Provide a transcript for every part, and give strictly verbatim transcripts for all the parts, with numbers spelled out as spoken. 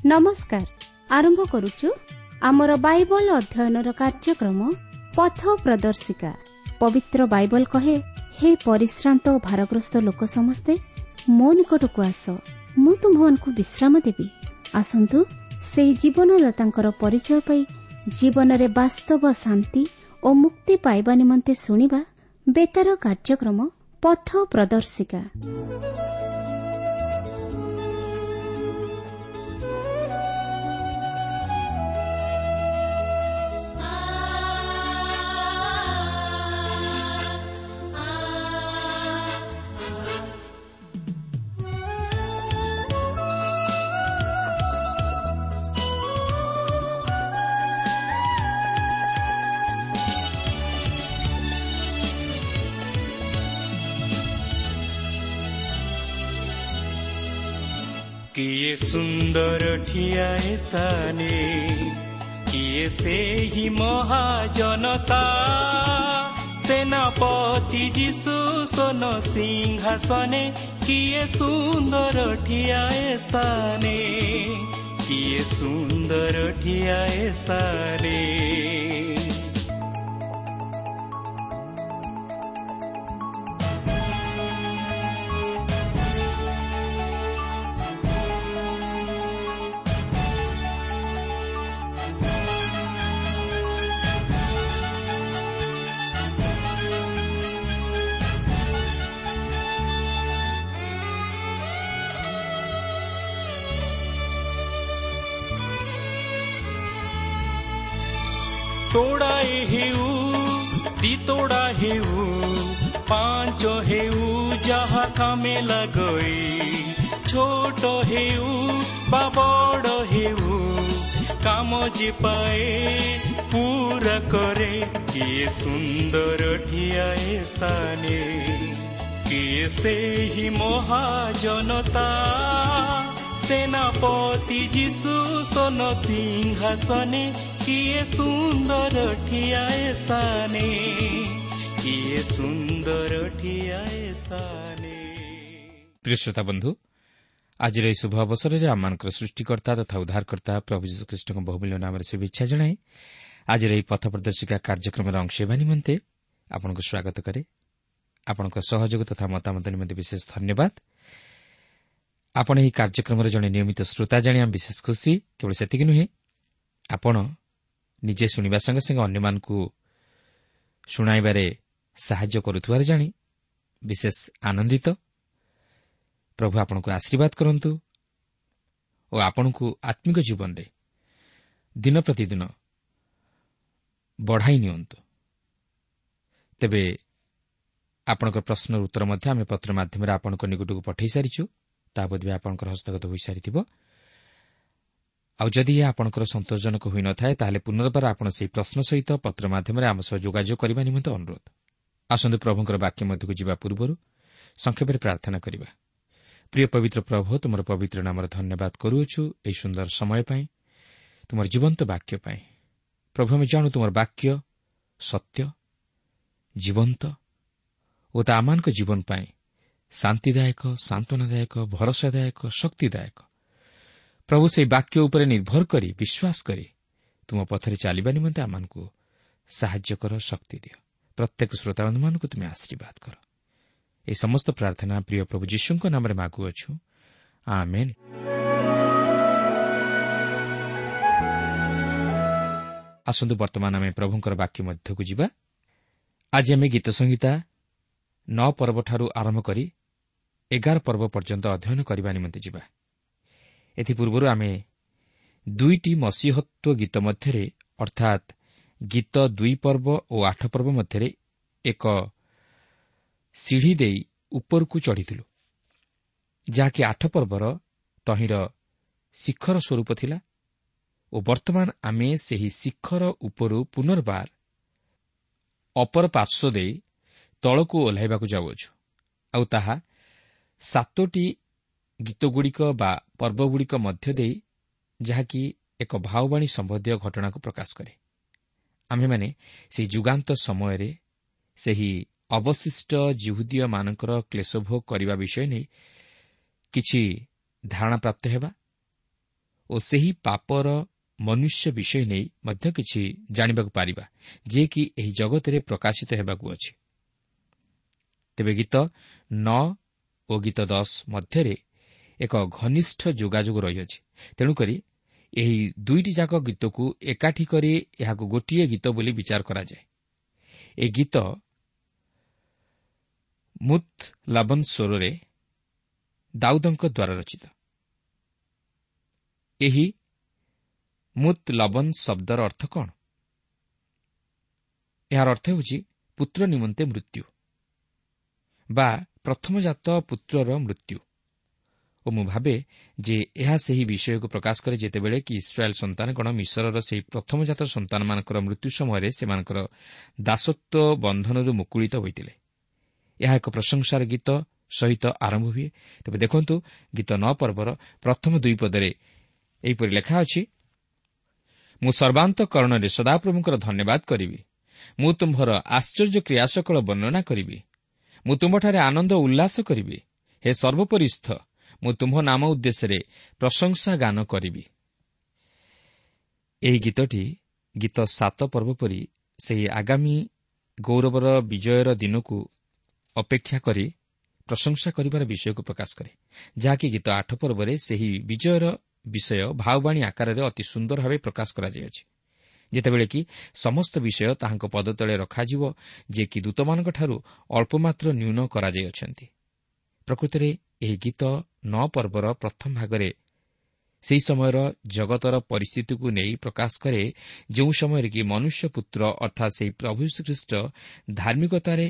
ନମସ୍କାର। ଆରମ୍ଭ କରୁଛୁ ଆମର ବାଇବଲ ଅଧ୍ୟୟନର କାର୍ଯ୍ୟକ୍ରମ ପଥ ପ୍ରଦର୍ଶିକା। ପବିତ୍ର ବାଇବଲ କହେ, ହେ ପରିଶ୍ରାନ୍ତ ଓ ଭାରଗ୍ରସ୍ତ ଲୋକ ସମସ୍ତେ ମୋ ନିକଟକୁ ଆସ, ମୁଁ ତୁମ୍ଭମାନଙ୍କୁ ବିଶ୍ରାମ ଦେବି। ଆସନ୍ତୁ ସେହି ଜୀବନଦାତାଙ୍କର ପରିଚୟ ପାଇ ଜୀବନରେ ବାସ୍ତବ ଶାନ୍ତି ଓ ମୁକ୍ତି ପାଇବା ନିମନ୍ତେ ଶୁଣିବା ବେତାର କାର୍ଯ୍ୟକ୍ରମ ପଥ ପ୍ରଦର୍ଶିକା। କିଏ ସୁନ୍ଦର ଠିଆଏ ସ୍ଥାନେ, କିଏ ସେହି ମହାଜନତା, ସେନାପତି ଯୀଶୁ ସୋନ ସିଂହାସନେ। କିଏ ସୁନ୍ଦର ଠିଆଏ ସ୍ଥାନେ, କିଏ ସୁନ୍ଦର ଠିଆଏ ସ୍ଥାନେ। ତୋଡ଼ାଏ ହେଉ, ଦିତୋଡ଼ା ହେଉ, ପାଞ୍ଚ ହେଉ, ଯାହା କାମେ ଲଗଇ, ଛୋଟ ହେଉ ବା ବଡ଼ ହେଉ, କାମ ଯେ ପାଏ ପୁରା କରେ। କିଏ ସୁନ୍ଦର ଠିଆଏ ସ୍ଥାନେ, କିଏ ସେହି ମହାଜନତା, ସେନାପତି ଯୀଶୁ ସୋନ ସିଂହାସନେ। କିଏ ସୁନ୍ଦର ଠିଆଏ ସ୍ଥାନେ, କିଏ ସୁନ୍ଦର ଠିଆଏ ସ୍ଥାନେ। ପ୍ରିୟ ଶ୍ରୋତା ବନ୍ଧୁ, ଆଜିର ଏହି ଶୁଭ ଅବସରରେ ଆମମାନଙ୍କର ସୃଷ୍ଟିକର୍ତ୍ତା ତଥା ଉଦ୍ଧାରକର୍ତ୍ତା ପ୍ରଭୁ ଯୀଶୁଖ୍ରୀଷ୍ଟଙ୍କ ବହୁମୂଲ୍ୟ ନାମରେ ଶୁଭେଚ୍ଛା ଜଣାଇ ଆଜିର ଏହି ପଥ ପ୍ରଦର୍ଶିକା କାର୍ଯ୍ୟକ୍ରମର ଅଂଶ ହେବା ନିମନ୍ତେ ଆପଣଙ୍କୁ ସ୍ୱାଗତ କରେ। ଆପଣଙ୍କ ସହଯୋଗ ତଥା ମତାମତ ନିମନ୍ତେ ବିଶେଷ ଧନ୍ୟବାଦ। ଆପଣ ଏହି କାର୍ଯ୍ୟକ୍ରମର ଜଣେ ନିୟମିତ ଶ୍ରୋତା ଜାଣି ଆମେ ବିଶେଷ ଖୁସି। କେବଳ ସେତିକି ନୁହେଁ, ଆପଣ ନିଜେ ଶୁଣିବା ସଙ୍ଗେ ସଙ୍ଗେ ଅନ୍ୟମାନଙ୍କୁ ଶୁଣାଇବାରେ ସାହାଯ୍ୟ କରୁଥିବାର ଜାଣି ବିଶେଷ ଆନନ୍ଦିତ। ପ୍ରଭୁ ଆପଣଙ୍କୁ ଆଶୀର୍ବାଦ କରନ୍ତୁ ଓ ଆପଣଙ୍କୁ ଆତ୍ମିକ ଜୀବନରେ ଦିନ ପ୍ରତିଦିନ ବଢ଼ାଇ ନିଅନ୍ତୁ। ତେବେ ଆପଣଙ୍କ ପ୍ରଶ୍ନର ଉତ୍ତର ମଧ୍ୟ ଆମେ ପତ୍ର ମାଧ୍ୟମରେ ଆପଣଙ୍କ ନିକଟକୁ ପଠାଇ ସାରିଛୁ, ତାହା ବୋଧହୁଏ ଆପଣଙ୍କର ହସ୍ତଗତ ହୋଇସାରିଥିବ। ଆଉ ଯଦି ଏହା ଆପଣଙ୍କର ସନ୍ତୋଷଜନକ ହୋଇନଥାଏ, ତାହେଲେ ପୁନର୍ବାର ଆପଣ ସେହି ପ୍ରଶ୍ନ ସହିତ ପତ୍ର ମାଧ୍ୟମରେ ଆମ ସହ ଯୋଗାଯୋଗ କରିବା ନିମନ୍ତେ ଅନୁରୋଧ। ଆସନ୍ତୁ ପ୍ରଭୁଙ୍କର ବାକ୍ୟ ମଧ୍ୟକୁ ଯିବା ପୂର୍ବରୁ ସଂକ୍ଷେପରେ ପ୍ରାର୍ଥନା କରିବା। ପ୍ରିୟ ପବିତ୍ର ପ୍ରଭୁ, ତୁମର ପବିତ୍ର ନାମର ଧନ୍ୟବାଦ କରୁଅଛୁ ଏହି ସୁନ୍ଦର ସମୟ ପାଇଁ, ତୁମର ଜୀବନ୍ତ ବାକ୍ୟ ପାଇଁ। ପ୍ରଭୁ, ଆମେ ଜାଣୁ ତୁମର ବାକ୍ୟ ସତ୍ୟ, ଜୀବନ୍ତ ଓ ତା ଆମମାନଙ୍କ ଜୀବନ ପାଇଁ ଶାନ୍ତିଦାୟକ, ସାନ୍ତ୍ୱନାଦାୟକ, ଭରସାଦାୟକ, ଶକ୍ତିଦାୟକ। ପ୍ରଭୁ, ସେହି ବାକ୍ୟ ଉପରେ ନିର୍ଭର କରି, ବିଶ୍ୱାସ କରି ତୁମ ପଥରେ ଚାଲିବା ନିମନ୍ତେ ଆମମାନଙ୍କୁ ସାହାଯ୍ୟ କର, ଶକ୍ତି ଦିଅ। ପ୍ରତ୍ୟେକ ଶ୍ରୋତାବନ୍ଧୁମାନଙ୍କୁ ତୁମେ ଆଶୀର୍ବାଦ କର। ଏହି ସମସ୍ତ ପ୍ରାର୍ଥନା ପ୍ରିୟ ପ୍ରଭୁ ଯୀଶୁଙ୍କ ନାମରେ ମାଗୁଅଛୁ, ଆମେନ୍। ଆସନ୍ତୁ ବର୍ତ୍ତମାନ ଆମେ ପ୍ରଭୁଙ୍କର ବାକ୍ୟ ମଧ୍ୟକୁ ଯିବା। ଆଜି ଆମେ ଗୀତ ସଂହିତା ନଅ ପର୍ବଠାରୁ ଆରମ୍ଭ କରି ଏଗାର ପର୍ବ ପର୍ଯ୍ୟନ୍ତ ଅଧ୍ୟୟନ କରିବା ନିମନ୍ତେ ଯିବା। ଏଥିପୂର୍ବରୁ ଆମେ ଦୁଇଟି ମସିହତ୍ୱ ଗୀତ ମଧ୍ୟରେ, ଅର୍ଥାତ୍ ଗୀତ ଦୁଇ ପର୍ବ ଓ ଆଠ ପର୍ବ ମଧ୍ୟରେ ଏକ ସିଢ଼ି ଦେଇ ଉପରକୁ ଚଢ଼ିଥିଲୁ, ଯାହାକି ଆଠ ପର୍ବର ତହିଁର ଶିଖର ସ୍ୱରୂପ ଥିଲା ଓ ବର୍ତ୍ତମାନ ଆମେ ସେହି ଶିଖର ଉପରୁ ପୁନର୍ବାର ଅପର ପାର୍ଶ୍ୱ ଦେଇ ତଳକୁ ଓହ୍ଲାଇବାକୁ ଯାଉଅଛୁ। ଆଉ ତାହା ସାତୋଟି ଗୀତଗୁଡ଼ିକ ବା ପର୍ବଗୁଡ଼ିକ ମଧ୍ୟ ଦେଇ, ଯାହାକି ଏକ ଭାବବାଣୀ ସମ୍ବନ୍ଧୀୟ ଘଟଣାକୁ ପ୍ରକାଶ କରେ। ଆମ୍ଭେମାନେ ସେହି ଯୁଗାନ୍ତ ସମୟରେ ସେହି ଅବଶିଷ୍ଟ ଯିହୁଦୀୟମାନଙ୍କର କ୍ଲେଶଭୋଗ କରିବା ବିଷୟ ନେଇ କିଛି ଧାରଣା ପ୍ରାପ୍ତ ହେବା ଓ ସେହି ପାପର ମନୁଷ୍ୟ ବିଷୟ ନେଇ ମଧ୍ୟ କିଛି ଜାଣିବାକୁ ପାରିବା, ଯିଏକି ଏହି ଜଗତରେ ପ୍ରକାଶିତ ହେବାକୁ ଅଛି। ତେବେ ଗୀତ ନଅ ଓ ଗୀତ ଦଶ ମଧ୍ୟରେ ଏକ ଘନିଷ୍ଠ ଯୋଗାଯୋଗ ରହିଅଛି। ତେଣୁକରି ଏହି ଦୁଇଟି ଯାକ ଗୀତକୁ ଏକାଠି କରି ଏହାକୁ ଗୋଟିଏ ଗୀତ ବୋଲି ବିଚାର କରାଯାଏ। ଏ ଗୀତ ମୁତ୍ ଲବନ୍ ସ୍ୱରରେ ଦାଉଦଙ୍କ ଦ୍ୱାରା ରଚିତ। ଏହି ମୁତ୍ ଲବନ୍ ଶବ୍ଦର ଅର୍ଥ କ'ଣ? ଏହାର ଅର୍ଥ ହେଉଛି ପୁତ୍ର ନିମନ୍ତେ ମୃତ୍ୟୁ ବା ପ୍ରଥମଜାତ ପୁତ୍ରର ମୃତ୍ୟୁ। ଓ ମୁଁ ଭାବେ ଯେ ଏହା ସେହି ବିଷୟକୁ ପ୍ରକାଶ କରେ ଯେତେବେଳେ କି ଇସ୍ରାଏଲ୍ ସନ୍ତାନଗଣ ମିଶରର ସେହି ପ୍ରଥମଜାତ ସନ୍ତାନମାନଙ୍କର ମୃତ୍ୟୁ ସମୟରେ ସେମାନଙ୍କର ଦାସତ୍ୱ ବନ୍ଧନରୁ ମୁକୁଳିତ ହୋଇଥିଲେ। ଏହା ଏକ ପ୍ରଶଂସାର ଗୀତ ସହିତ ଆରମ୍ଭ ହୁଏ। ତେବେ ଦେଖନ୍ତୁ, ଗୀତ ନଅ ପର୍ବର ପ୍ରଥମ ଦୁଇ ପଦରେ ଏହିପରି ଲେଖା ଅଛି, ମୁଁ ସର୍ବାନ୍ତକରଣରେ ସଦାପ୍ରଭୁଙ୍କର ଧନ୍ୟବାଦ କରିବି, ମୁଁ ତୁମ୍ଭର ଆଶ୍ଚର୍ଯ୍ୟ କ୍ରିୟାସକଳ ବର୍ଣ୍ଣନା କରିବି, ମୁଁ ତୁମ୍ଭଠାରେ ଆନନ୍ଦ ଉଲ୍ଲାସ କରିବି, ହେ ସର୍ବୋପରିସ୍ଥ, ମୁଁ ତୁମ୍ଭ ନାମ ଉଦ୍ଦେଶ୍ୟରେ ପ୍ରଶଂସା ଗାନ କରିବି। ଏହି ଗୀତଟି ଗୀତ ସାତ ପର୍ବ ପରି ସେହି ଆଗାମୀ ଗୌରବର ବିଜୟର ଦିନକୁ ଅପେକ୍ଷା କରି ପ୍ରଶଂସା କରିବାର ବିଷୟକୁ ପ୍ରକାଶ କରେ, ଯାହାକି ଗୀତ ଆଠ ପର୍ବରେ ସେହି ବିଜୟର ବିଷୟ ଭାବବାଣୀ ଆକାରରେ ଅତି ସୁନ୍ଦର ଭାବେ ପ୍ରକାଶ କରାଯାଇଅଛି, ଯେତେବେଳେ କି ସମସ୍ତ ବିଷୟ ତାହାଙ୍କ ପଦତଳେ ରଖାଯିବ, ଯେ କି ଦୂତମାନଙ୍କଠାରୁ ଅଳ୍ପମାତ୍ର ନ୍ୟୁନ କରାଯାଇଅଛନ୍ତି। ପ୍ରକୃତରେ ଏହି ଗୀତ ନଅ ପର୍ବର ପ୍ରଥମ ଭାଗରେ ସେହି ସମୟର ଜଗତର ପରିସ୍ଥିତିକୁ ନେଇ ପ୍ରକାଶ କରେ, ଯେଉଁ ସମୟରେ କି ମନୁଷ୍ୟ ପୁତ୍ର ଅର୍ଥାତ୍ ସେହି ପ୍ରଭୁ ଯୀଶୁଖ୍ରୀଷ୍ଟ ଧାର୍ମିକତାରେ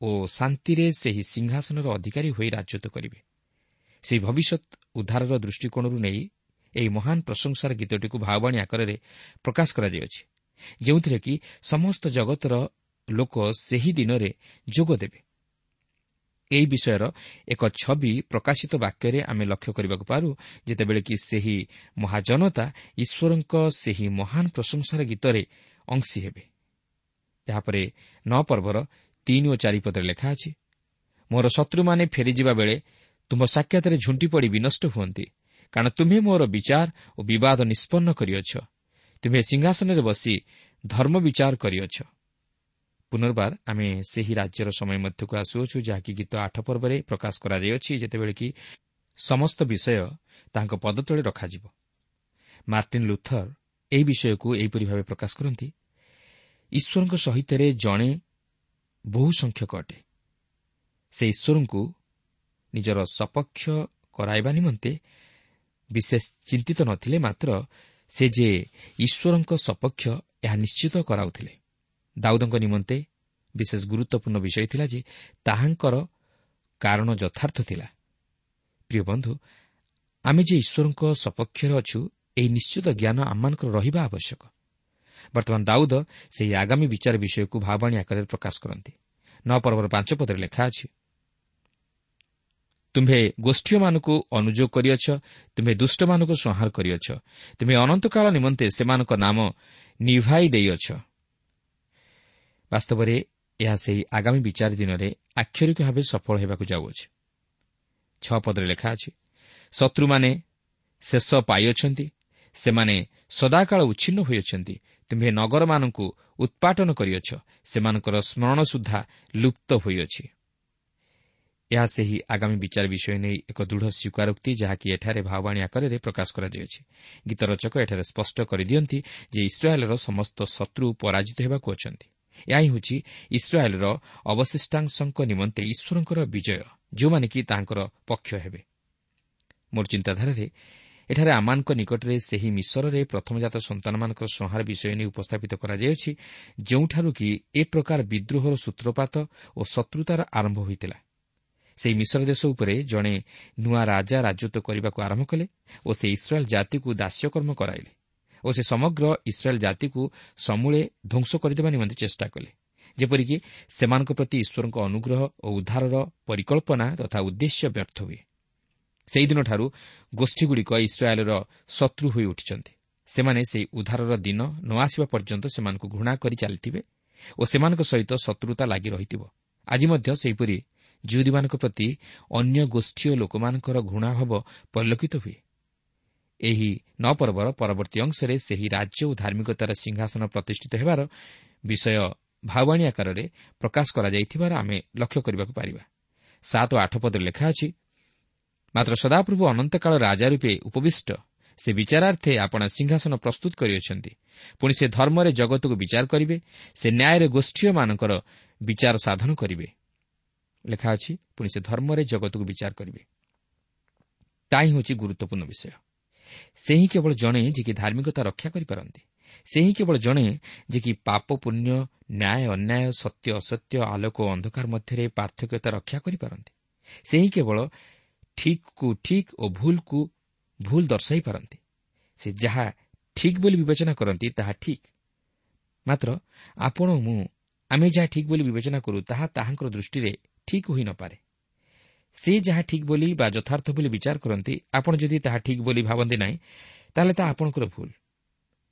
ଓ ଶାନ୍ତିରେ ସେହି ସିଂହାସନର ଅଧିକାରୀ ହୋଇ ରାଜତ୍ୱ କରିବେ। ସେହି ଭବିଷ୍ୟତ ଉଦ୍ଧାରର ଦୃଷ୍ଟିକୋଣରୁ ନେଇ ଏହି ମହାନ ପ୍ରଶଂସାର ଗୀତଟିକୁ ଭାବବାଣୀ ଆକାରରେ ପ୍ରକାଶ କରାଯାଇଅଛି, ଯେଉଁଥିରେ କି ସମସ୍ତ ଜଗତର ଲୋକ ସେହି ଦିନରେ ଯୋଗ ଦେବେ। ଏହି ବିଷୟର ଏକ ଛବି ପ୍ରକାଶିତ ବାକ୍ୟରେ ଆମେ ଲକ୍ଷ୍ୟ କରିବାକୁ ପାରୁ, ଯେତେବେଳେ କି ସେହି ମହାଜନତା ଈଶ୍ୱରଙ୍କ ସେହି ମହାନ ପ୍ରଶଂସାର ଗୀତରେ ଅଂଶୀ ହେବେ। ଏହାପରେ ନଅ ପର୍ବର ତିନି ଓ ଚାରି ପଦରେ ଲେଖା ଅଛି, ମୋର ଶତ୍ରୁମାନେ ଫେରିଯିବା ବେଳେ ତୁମ୍ଭ ସାକ୍ଷାତରେ ଝୁଣ୍ଟି ପଡ଼ି ବିନଷ୍ଟ ହୁଅନ୍ତି, କାରଣ ତୁମ୍ଭେ ମୋର ବିଚାର ଓ ବିବାଦ ନିଷ୍ପନ୍ନ କରିଅଛ, ତୁମ୍ଭେ ସିଂହାସନରେ ବସି ଧର୍ମ ବିଚାର କରିଅଛ। ପୁନର୍ବାର ଆମେ ସେହି ରାଜ୍ୟର ସମୟ ମଧ୍ୟକୁ ଆସୁଅଛୁ, ଯାହାକି ଗୀତ ଆଠ ପର୍ବରେ ପ୍ରକାଶ କରାଯାଇଅଛି, ଯେତେବେଳେ କି ସମସ୍ତ ବିଷୟ ତାଙ୍କ ପଦତଳେ ରଖାଯିବ। ମାର୍ଟିନ୍ ଲୁଥର ଏହି ବିଷୟକୁ ଏହିପରି ଭାବେ ପ୍ରକାଶ କରନ୍ତି, ଈଶ୍ୱରଙ୍କ ସହିତରେ ଜଣେ ବହୁ ସଂଖ୍ୟକ ଅଟେ। ସେ ଈଶ୍ୱରଙ୍କୁ ନିଜର ସପକ୍ଷ କରାଇବା ନିମନ୍ତେ ବିଶେଷ ଚିନ୍ତିତ ନଥିଲେ, ମାତ୍ର ସେ ଯେ ଈଶ୍ୱରଙ୍କ ସପକ୍ଷ ଏହା ନିଶ୍ଚିତ କରାଉଥିଲେ। ଦାଉଦଙ୍କ ନିମନ୍ତେ ବିଶେଷ ଗୁରୁତ୍ୱପୂର୍ଣ୍ଣ ବିଷୟ ଥିଲା ଯେ ତାହାଙ୍କର କାରଣ ଯଥାର୍ଥ ଥିଲା। ପ୍ରିୟ ବନ୍ଧୁ, ଆମେ ଯେ ଈଶ୍ୱରଙ୍କ ସପକ୍ଷରେ ଅଛୁ, ଏହି ନିଶ୍ଚିତ ଜ୍ଞାନ ଆମମାନଙ୍କର ରହିବା ଆବଶ୍ୟକ। ବର୍ତ୍ତମାନ ଦାଉଦ ସେହି ଆଗାମୀ ବିଚାର ବିଷୟକୁ ଭାବବାଣୀ ଆକାରରେ ପ୍ରକାଶ କରନ୍ତି। ନଅ ପର୍ବର ପାଞ୍ଚ ପଦରେ ଲେଖା ଅଛି, ତୁମ୍ଭେ ଗୋଷ୍ଠୀୟମାନଙ୍କୁ ଅନୁଯୋଗ କରିଅଛ, ତୁମ୍ଭେ ଦୁଷ୍ଟମାନଙ୍କୁ ସଂହାର କରିଅଛ, ତୁମ୍ଭେ ଅନନ୍ତକାଳ ନିମନ୍ତେ ସେମାନଙ୍କ ନାମ ନିଭାଇ ଦେଇଅଛ। ବାସ୍ତବରେ ଏହା ସେହି ଆଗାମୀ ବିଚାର ଦିନରେ ଆକ୍ଷରିକ ଭାବେ ସଫଳ ହେବାକୁ ଯାଉଅଛି। ଛଅ ପଦରେ ଲେଖା ଅଛି, ଶତ୍ରୁମାନେ ଶେଷ ପାଇଅଛନ୍ତି, ସେମାନେ ସଦାକାଳ ଉଚ୍ଛିନ୍ନ ହୋଇଅଛନ୍ତି, ତୁମ୍ଭେ ନଗରମାନଙ୍କୁ ଉତ୍ପାଟନ କରିଅଛ, ସେମାନଙ୍କର ସ୍ମରଣ ସୁଦ୍ଧା ଲୁପ୍ତ ହୋଇଅଛି। ଏହା ସେହି ଆଗାମୀ ବିଚାର ବିଷୟ ନେଇ ଏକ ଦୃଢ଼ ସ୍ୱୀକାରୋକ୍ତି, ଯାହାକି ଏଠାରେ ଭାବବାଣୀ ଆକାରରେ ପ୍ରକାଶ କରାଯାଇଅଛି। ଗୀତ ରଚକ ଏଠାରେ ସ୍ପଷ୍ଟ କରିଦିଅନ୍ତି ଯେ ଇସ୍ରାଏଲର ସମସ୍ତ ଶତ୍ରୁ ପରାଜିତ ହେବାକୁ ଅଛନ୍ତି। ଏହା ହିଁ ହେଉଛି ଇସ୍ରାଏଲର ଅବଶିଷ୍ଟାଂଶଙ୍କ ନିମନ୍ତେ ଈଶ୍ୱରଙ୍କର ବିଜୟ, ଯେଉଁମାନେ କି ତାହାଙ୍କର ପକ୍ଷ ହେବେ। ମୋର ଚିନ୍ତାଧାରାରେ ଏଠାରେ ଆମମାନଙ୍କ ନିକଟରେ ସେହି ମିଶରରେ ପ୍ରଥମଜାତ ସନ୍ତାନମାନଙ୍କର ସଂହାର ବିଷୟ ନେଇ ଉପସ୍ଥାପିତ କରାଯାଇଅଛି, ଯେଉଁଠାରୁ କି ଏ ପ୍ରକାର ବିଦ୍ରୋହର ସୂତ୍ରପାତ ଓ ଶତ୍ରୁତାର ଆରମ୍ଭ ହୋଇଥିଲା। ସେହି ମିଶର ଦେଶ ଉପରେ ଜଣେ ନୂଆ ରାଜା ରାଜତ୍ୱ କରିବାକୁ ଆରମ୍ଭ କଲେ ଓ ସେ ଇସ୍ରାଏଲ୍ ଜାତିକୁ ଦାସ୍ୟକର୍ମ କରାଇଲେ ଓ ସେ ସମଗ୍ର ଇସ୍ରାଏଲ୍ ଜାତିକୁ ସମୂଳେ ଧ୍ୱଂସ କରିଦେବା ନିମନ୍ତେ ଚେଷ୍ଟା କଲେ, ଯେପରିକି ସେମାନଙ୍କ ପ୍ରତି ଈଶ୍ୱରଙ୍କ ଅନୁଗ୍ରହ ଓ ଉଦ୍ଧାରର ପରିକଳ୍ପନା ତଥା ଉଦ୍ଦେଶ୍ୟ ବ୍ୟର୍ଥ ହୁଏ। ସେହିଦିନଠାରୁ ଗୋଷ୍ଠୀଗୁଡ଼ିକ ଇସ୍ରାଏଲ୍ର ଶତ୍ରୁ ହୋଇ ଉଠିଛନ୍ତି। ସେମାନେ ସେହି ଉଦ୍ଧାରର ଦିନ ନ ଆସିବା ପର୍ଯ୍ୟନ୍ତ ସେମାନଙ୍କୁ ଘୃଣା କରି ଚାଲିଥିବେ ଓ ସେମାନଙ୍କ ସହିତ ଶତ୍ରୁତା ଲାଗି ରହିଥିବ। ଆଜି ମଧ୍ୟ ସେହିପରି ଜିହୁଦୀମାନଙ୍କ ପ୍ରତି ଅନ୍ୟ ଗୋଷ୍ଠୀୟ ଲୋକମାନଙ୍କର ଘୃଣାଭାବ ପରିଲକ୍ଷିତ ହୁଏ। ଏହି ନଅ ପର୍ବର ପରବର୍ତ୍ତୀ ଅଂଶରେ ସେହି ରାଜ୍ୟ ଓ ଧାର୍ମିକତାର ସିଂହାସନ ପ୍ରତିଷ୍ଠିତ ହେବାର ବିଷୟ ଭାବବାଣୀ ଆକାରରେ ପ୍ରକାଶ କରାଯାଇଥିବାର ଆମେ ଲକ୍ଷ୍ୟ କରିବାକୁ ପାରିବା। ସାତ ଓ ଆଠ ପଦରେ ଲେଖା ଅଛି, ମାତ୍ର ସଦାପ୍ରଭୁ ଅନନ୍ତକାଳ ରାଜା ରୂପେ ଉପବିଷ୍ଟ, ସେ ବିଚାରାର୍ଥେ ଆପଣା ସିଂହାସନ ପ୍ରସ୍ତୁତ କରିଅଛନ୍ତି। ପୁଣି ସେ ଧର୍ମରେ ଜଗତକୁ ବିଚାର କରିବେ, ସେ ନ୍ୟାୟରେ ଗୋଷ୍ଠୀୟମାନଙ୍କର ବିଚାର ସାଧନ କରିବେ। ଲେଖା ଅଛି, ପୁଣି ସେ ଧର୍ମରେ ଜଗତକୁ ବିଚାର କରିବେ। ତାହା ହିଁ ହେଉଛି ଗୁରୁତ୍ୱପୂର୍ଣ୍ଣ ବିଷୟ। ସେ ହିଁ କେବଳ ଜଣେ ଯିଏକି ଧାର୍ମିକତା ରକ୍ଷା କରିପାରନ୍ତି। ସେ ହିଁ କେବଳ ଜଣେ ଯିଏକି ପାପ ପୁଣ୍ୟ, ନ୍ୟାୟ ଅନ୍ୟାୟ, ସତ୍ୟ ଅସତ୍ୟ, ଆଲୋକ ଓ ଅନ୍ଧକାର ମଧ୍ୟରେ ପାର୍ଥକ୍ୟତା ରକ୍ଷା କରିପାରନ୍ତି। ସେ ହିଁ କେବଳ ଠିକ୍କୁ ଠିକ୍ ଓ ଭୁଲକୁ ଭୁଲ ଦର୍ଶାଇ ପାରନ୍ତି। ସେ ଯାହା ଠିକ୍ ବୋଲି ବିବେଚନା କରନ୍ତି ତାହା ଠିକ୍। ମାତ୍ର ଆପଣ ମୁଁ ଆମେ ଯାହା ଠିକ୍ ବୋଲି ବିବେଚନା କରୁ ତାହା ତାହାଙ୍କର ଦୃଷ୍ଟିରେ ଠିକ୍ ହୋଇନପାରେ। ସେ ଯାହା ଠିକ୍ ବୋଲି ବା ଯଥାର୍ଥ ବୋଲି ବିଚାର କରନ୍ତି, ଆପଣ ଯଦି ତାହା ଠିକ୍ ବୋଲି ଭାବନ୍ତି ନାହିଁ, ତାହେଲେ ତାହା ଆପଣଙ୍କର ଭୁଲ।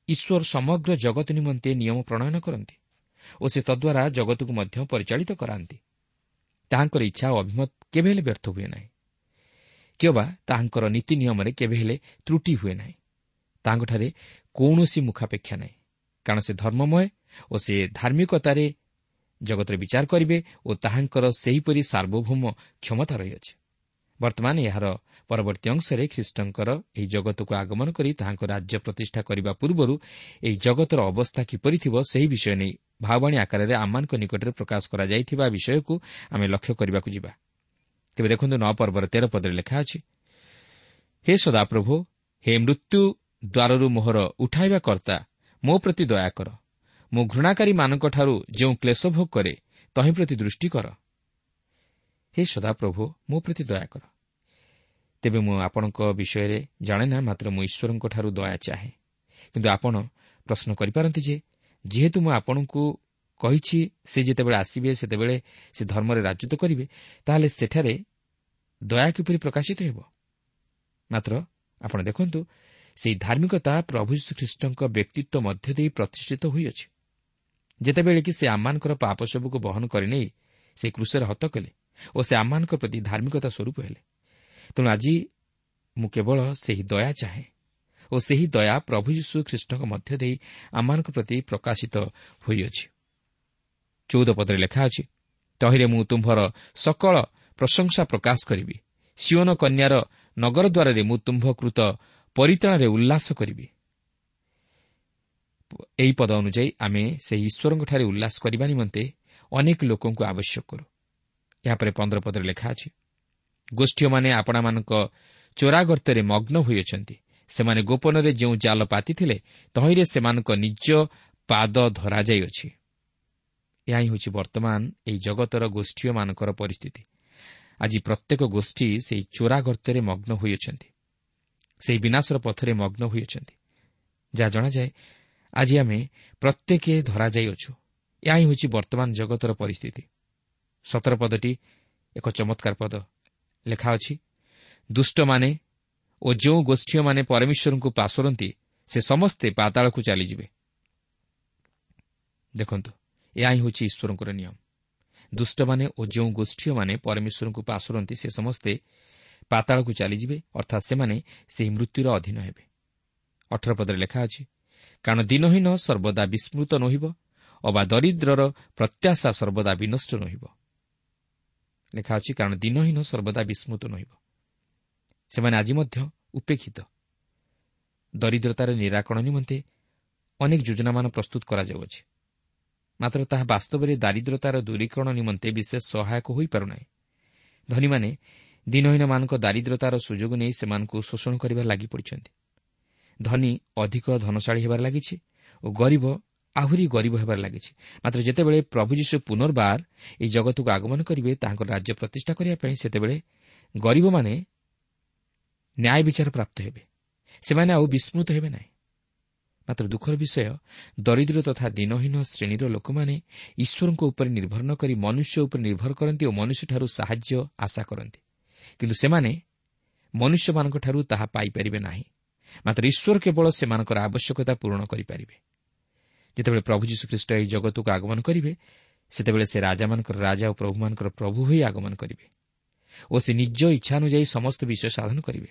ଈଶ୍ୱର ସମଗ୍ର ଜଗତ ନିମନ୍ତେ ନିୟମ ପ୍ରଣୟନ କରନ୍ତି ଓ ସେ ତଦ୍ୱାରା ଜଗତକୁ ମଧ୍ୟ ପରିଚାଳିତ କରାନ୍ତି। ତାହାଙ୍କର ଇଚ୍ଛା ଓ ଅଭିମତ କେବେ ହେଲେ ବ୍ୟର୍ଥ ହୁଏ ନାହିଁ, କିମ୍ବା ତାହାଙ୍କର ନୀତି ନିୟମରେ କେବେ ହେଲେ ତ୍ରୁଟି ହୁଏ ନାହିଁ। ତାହାଙ୍କଠାରେ କୌଣସି ମୁଖାପେକ୍ଷା ନାହିଁ, କାରଣ ସେ ଧର୍ମମୟ ଓ ସେ ଧାର୍ମିକତାରେ ଜଗତରେ ବିଚାର କରିବେ ଓ ତାହାଙ୍କର ସେହିପରି ସାର୍ବଭୌମ କ୍ଷମତା ରହିଅଛି। ବର୍ତ୍ତମାନ ଏହାର ପରବର୍ତ୍ତୀ ଅଂଶରେ ଖ୍ରୀଷ୍ଟଙ୍କର ଏହି ଜଗତକୁ ଆଗମନ କରି ତାହାଙ୍କ ରାଜ୍ୟ ପ୍ରତିଷ୍ଠା କରିବା ପୂର୍ବରୁ ଏହି ଜଗତର ଅବସ୍ଥା କିପରି ଥିବ ସେହି ବିଷୟ ନେଇ ଭାବବାଣୀ ଆକାରରେ ଆମମାନଙ୍କ ନିକଟରେ ପ୍ରକାଶ କରାଯାଇଥିବା ବିଷୟକୁ ଆମେ ଲକ୍ଷ୍ୟ କରିବାକୁ ଯିବା। ତେବେ ଦେଖନ୍ତୁ ନଅ ପର୍ବର ତେର ପଦରେ ଲେଖା ଅଛି, ହେ ସଦାପ୍ରଭୁ, ହେ ମୃତ୍ୟୁ ଦ୍ୱାରରୁ ମୋହର ଉଠାଇବା କର୍ତ୍ତା, ମୋ ପ୍ରତି ଦୟା କର। ମୁଁ ଘୃଣାକାରୀମାନଙ୍କଠାରୁ ଯେଉଁ କ୍ଲେଶ ଭୋଗ କରେ ତହିଁ ପ୍ରତି ଦୃଷ୍ଟି କର। ହେ ସଦାପ୍ରଭୁ, ମୋ ପ୍ରତି ଦୟା କର। ତେବେ ମୁଁ ଆପଣଙ୍କ ବିଷୟରେ ଜାଣେ ନା, ମାତ୍ର ମୁଁ ଈଶ୍ୱରଙ୍କଠାରୁ ଦୟା ଚାହେଁ। କିନ୍ତୁ ଆପଣ ପ୍ରଶ୍ନ କରିପାରନ୍ତି ଯେ ଯେହେତୁ ମୁଁ ଆପଣଙ୍କୁ କହିଛି ସେ ଯେତେବେଳେ ଆସିବେ ସେତେବେଳେ ସେ ଧର୍ମରେ ରାଜତ୍ୱ କରିବେ, ତାହେଲେ ସେଠାରେ ଦୟା କିପରି ପ୍ରକାଶିତ ହେବ? ମାତ୍ର ଆପଣ ଦେଖନ୍ତୁ, ସେହି ଧାର୍ମିକତା ପ୍ରଭୁ ଯୀଶୁଖ୍ରୀଷ୍ଟଙ୍କ ବ୍ୟକ୍ତିତ୍ୱ ମଧ୍ୟ ଦେଇ ପ୍ରତିଷ୍ଠିତ ହୋଇଅଛି। ଯେତେବେଳେ କି ସେ ଆମମାନଙ୍କର ପାପ ସବୁକୁ ବହନ କରିନେଇ ସେ କ୍ରୁଶରେ ହତ କଲେ ଓ ସେ ଆମମାନଙ୍କ ପ୍ରତି ଧାର୍ମିକତା ସ୍ୱରୂପ ହେଲେ। ତେଣୁ ଆଜି ମୁଁ କେବଳ ସେହି ଦୟା ଚାହେଁ ଓ ସେହି ଦୟା ପ୍ରଭୁ ଯୀଶୁ ଖ୍ରୀଷ୍ଟଙ୍କ ମଧ୍ୟ ଦେଇ ଆମମାନଙ୍କ ପ୍ରତି ପ୍ରକାଶିତ ହୋଇଅଛି। ଚଉଦ ପଦରେ ଲେଖା ଅଛି, ତହିଁରେ ମୁଁ ତୁମ୍ଭର ସକଳ ପ୍ରଶଂସା ପ୍ରକାଶ କରିବି, ସିଓନ କନ୍ୟାର ନଗର ଦ୍ୱାରରେ ମୁଁ ତୁମ୍ଭ କୃତ ପରିତ୍ରାଣରେ ଉଲ୍ଲାସ କରିବି। ଏହି ପଦ ଅନୁଯାୟୀ ଆମେ ସେହି ଈଶ୍ୱରଙ୍କଠାରେ ଉଲ୍ଲାସ କରିବା ନିମନ୍ତେ ଅନେକ ଲୋକଙ୍କୁ ଆବଶ୍ୟକ କରୁ। ଏହାପରେ ପନ୍ଦର ପଦରେ ଲେଖା ଅଛି, ଗୋଷ୍ଠୀୟମାନେ ଆପଣାମାନଙ୍କ ଚୋରାଗର୍ତ୍ତରେ ମଗ୍ନ ହୋଇଅଛନ୍ତି, ସେମାନେ ଗୋପନରେ ଯେଉଁ ଜାଲ ପାତିଥିଲେ ତହିଁରେ ସେମାନଙ୍କ ନିଜ ପାଦ ଧରାଯାଇଅଛି। ଏହା ହିଁ ହେଉଛି ବର୍ତ୍ତମାନ ଏହି ଜଗତର ଗୋଷ୍ଠୀୟମାନଙ୍କର ପରିସ୍ଥିତି। ଆଜି ପ୍ରତ୍ୟେକ ଗୋଷ୍ଠୀ ସେହି ଚୋରାଗର୍ତ୍ତରେ ମଗ୍ନ ହୋଇଅଛନ୍ତି, ସେହି ବିନାଶର ପଥରେ ମଗ୍ନ ହୋଇଅଛନ୍ତି। ଯାହା ଜଣାଯାଏ ଆଜି ଆମେ ପ୍ରତ୍ୟେକ ଧରାଯାଇଅଛୁ। ଏହା ହିଁ ହେଉଛି ବର୍ତ୍ତମାନ ଜଗତର ପରିସ୍ଥିତି। ସତର ପଦଟି ଏକ ଚମତ୍କାର ପଦ। ଲେଖା ଅଛି, ଦୁଷ୍ଟମାନେ ଓ ଯେଉଁ ଗୋଷ୍ଠୀୟମାନେ ପରମେଶ୍ୱରଙ୍କୁ ପାଶୋରନ୍ତି ସେ ସମସ୍ତେ ପାତାଳକୁ ଚାଲିଯିବେ। ଦେଖନ୍ତୁ, ଏହା ହିଁ ହେଉଛି ଈଶ୍ୱରଙ୍କର ନିୟମ। ଦୁଷ୍ଟମାନେ ଓ ଯେଉଁ ଗୋଷ୍ଠୀୟମାନେ ପରମେଶ୍ୱରଙ୍କୁ ପାଶୋରନ୍ତି ସେ ସମସ୍ତେ ପାତାଳକୁ ଚାଲିଯିବେ, ଅର୍ଥାତ୍ ସେମାନେ ସେହି ମୃତ୍ୟୁର ଅଧୀନ ହେବେ। ଅଠର ପଦରେ ଲେଖା ଅଛି, କାରଣ ଦିନହୀନ ସର୍ବଦା ବିସ୍ମୃତ ନୋହିବ ଅବା ଦରିଦ୍ରର ପ୍ରତ୍ୟାଶା ସର୍ବଦା ବିନଷ୍ଟ ନୋହିବ। ଲେଖା ଅଛି, କାରଣ ଦିନହୀନ ସର୍ବଦା ବିସ୍ମୃତ ନୋହିବ। ସେମାନେ ଆଜି ମଧ୍ୟ ଉପେକ୍ଷିତ। ଦରିଦ୍ରତାର ନିରାକରଣ ନିମନ୍ତେ ଅନେକ ଯୋଜନାମାନ ପ୍ରସ୍ତୁତ କରାଯାଉଅଛି, ମାତ୍ର ତାହା ବାସ୍ତବରେ ଦାରିଦ୍ରତାର ଦୂରୀକରଣ ନିମନ୍ତେ ବିଶେଷ ସହାୟକ ହୋଇପାରୁନାହିଁ। ଧନୀମାନେ ଦିନହୀନମାନଙ୍କ ଦାରିଦ୍ରତାର ସୁଯୋଗ ନେଇ ସେମାନଙ୍କୁ ଶୋଷଣ କରିବାରେ ଲାଗିପଡ଼ିଛନ୍ତି। ଧନୀ ଅଧିକ ଧନଶାଳୀ ହେବାରେ ଲାଗିଛି ଓ ଗରିବ ଆହୁରି ଗରିବ ହେବାରେ ଲାଗିଛି। ମାତ୍ର ଯେତେବେଳେ ପ୍ରଭୁ ଯୀଶୁ ପୁନର୍ବାର ଏହି ଜଗତକୁ ଆଗମନ କରିବେ ତାହାଙ୍କର ରାଜ୍ୟ ପ୍ରତିଷ୍ଠା କରିବା ପାଇଁ, ସେତେବେଳେ ଗରିବମାନେ ନ୍ୟାୟ ବିଚାର ପ୍ରାପ୍ତ ହେବେ। ସେମାନେ ଆଉ ବିସ୍ମୃତ ହେବେ ନାହିଁ। ମାତ୍ର ଦୁଃଖର ବିଷୟ, ଦରିଦ୍ର ତଥା ଦିନହୀନ ଶ୍ରେଣୀର ଲୋକମାନେ ଈଶ୍ୱରଙ୍କ ଉପରେ ନିର୍ଭର ନ କରି ମନୁଷ୍ୟ ଉପରେ ନିର୍ଭର କରନ୍ତି ଓ ମନୁଷ୍ୟଠାରୁ ସାହାଯ୍ୟ ଆଶା କରନ୍ତି। କିନ୍ତୁ ସେମାନେ ମନୁଷ୍ୟମାନଙ୍କଠାରୁ ତାହା ପାଇପାରିବେ ନାହିଁ। ମାତ୍ର ଈଶ୍ୱର କେବଳ ସେମାନଙ୍କର ଆବଶ୍ୟକତା ପୂରଣ କରିପାରିବେ। ଯେତେବେଳେ ପ୍ରଭୁ ଯୀଶୁଖ୍ରୀଷ୍ଟ ଏହି ଜଗତକୁ ଆଗମନ କରିବେ, ସେତେବେଳେ ସେ ରାଜାମାନଙ୍କର ରାଜା ଓ ପ୍ରଭୁମାନଙ୍କର ପ୍ରଭୁ ହୋଇ ଆଗମନ କରିବେ ଓ ସେ ନିଜ ଇଚ୍ଛା ଅନୁଯାୟୀ ସମସ୍ତ ବିଷୟ ସାଧନ କରିବେ।